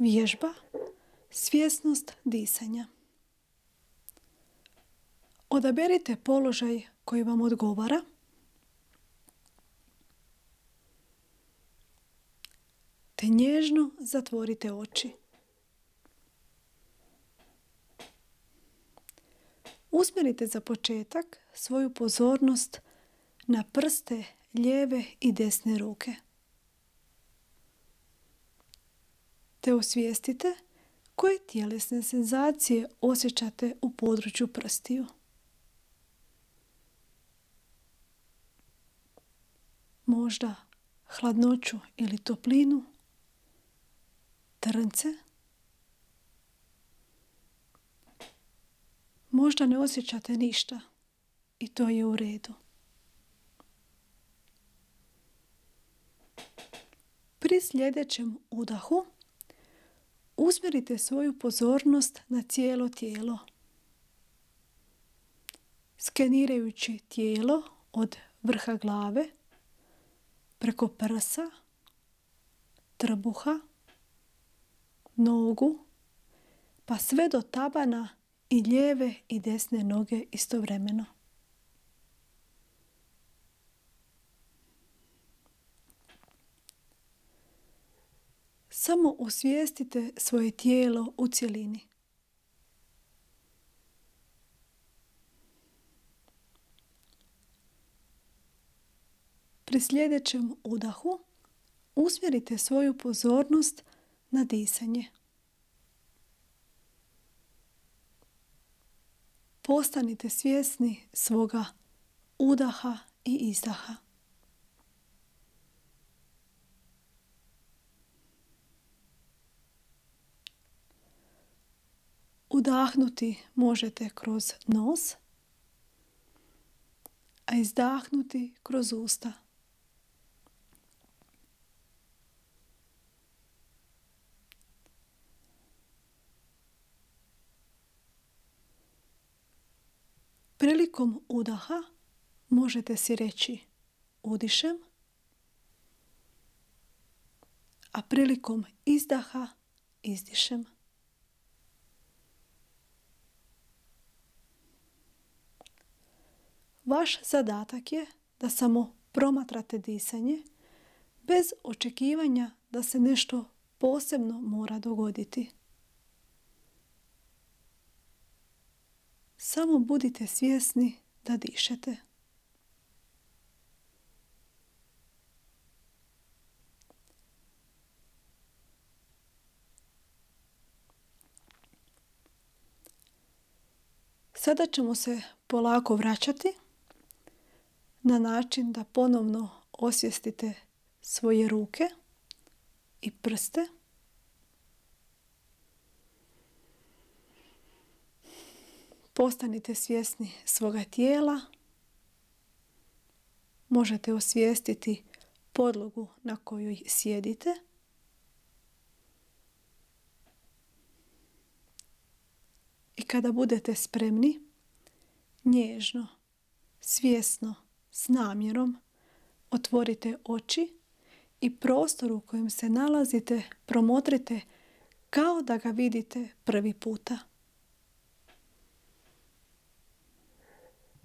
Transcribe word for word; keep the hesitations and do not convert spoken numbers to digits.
Vježba, svjesnost disanja. Odaberite položaj koji vam odgovara. Te nježno zatvorite oči. Usmjerite za početak svoju pozornost na prste lijeve i desne ruke. Te osvijestite koje tjelesne senzacije osjećate u području prstiju. Možda hladnoću ili toplinu, trnce. Možda ne osjećate ništa i to je u redu. Pri sljedećem udahu usmjerite svoju pozornost na cijelo tijelo, skenirajući tijelo od vrha glave, preko prsa, trbuha, nogu, pa sve do tabana i lijeve i desne noge istovremeno. Samo osvijestite svoje tijelo u cjelini. Pri sljedećem udahu usmjerite svoju pozornost na disanje. Postanite svjesni svoga udaha i izdaha. Udahnuti možete kroz nos, a izdahnuti kroz usta. Prilikom udaha možete si reći udišem, a prilikom izdaha izdišem. Vaš zadatak je da samo promatrate disanje bez očekivanja da se nešto posebno mora dogoditi. Samo budite svjesni da dišete. Sada ćemo se polako vraćati na način da ponovno osvijestite svoje ruke i prste. Postanite svjesni svoga tijela. Možete osvijestiti podlogu na kojoj sjedite. I kada budete spremni, nježno, svjesno, s namjerom, otvorite oči i prostor u kojem se nalazite promotrite kao da ga vidite prvi puta.